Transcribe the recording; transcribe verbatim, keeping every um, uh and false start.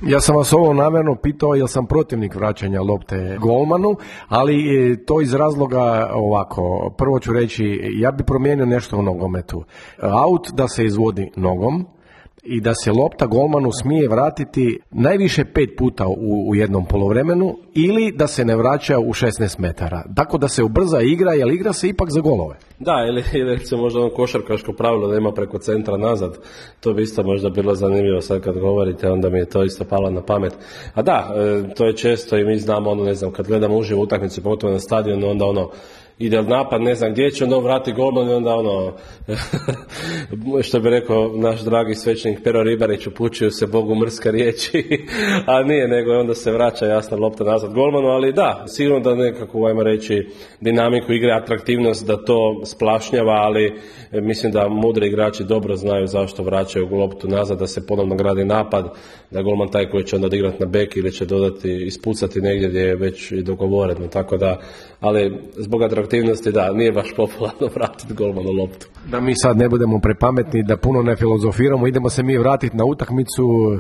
Ja sam vas ovo namjerno pitao jer sam protivnik vraćanja lopte golmanu, ali to iz razloga ovako. Prvo ću reći, ja bi promijenio nešto u nogometu. Aut da se izvodi nogom i da se lopta golmanu smije vratiti najviše pet puta u, u jednom poluvremenu ili da se ne vraća u šesnaest metara. Tako da se ubrza igra, jer igra se ipak za golove. Da, ili, ili se možda ono košarkaško pravilo da ima preko centra nazad. To bi isto možda bilo zanimljivo sad kad govorite, onda mi je to isto palo na pamet. A da, to je često i mi znamo, ono, ne znam, kad gledamo uživo utakmicu, pogotovo na stadionu, onda ono, ide napad, ne znam gdje će, onda vrati golman i onda ono, što bi rekao naš dragi svećenik Pero Ribarić, upućuju se Bogu mrska riječi, a nije, nego onda se vraća jasna lopta nazad golmanu, ali da, sigurno da nekako, ajmo reći, dinamiku igre, atraktivnost, da to splašnjava, ali mislim da mudri igrači dobro znaju zašto vraćaju loptu nazad, da se ponovno gradi napad, da golman taj koji će onda odigrati na bek ili će dodati, ispucati negdje gdje je već i dogovoreno, tako da, ali zbog atraktivnosti da, nije baš popularno vratiti golmanu loptu. Da mi sad ne budemo prepametni, da puno ne filozofiramo, idemo se mi vratiti na utakmicu.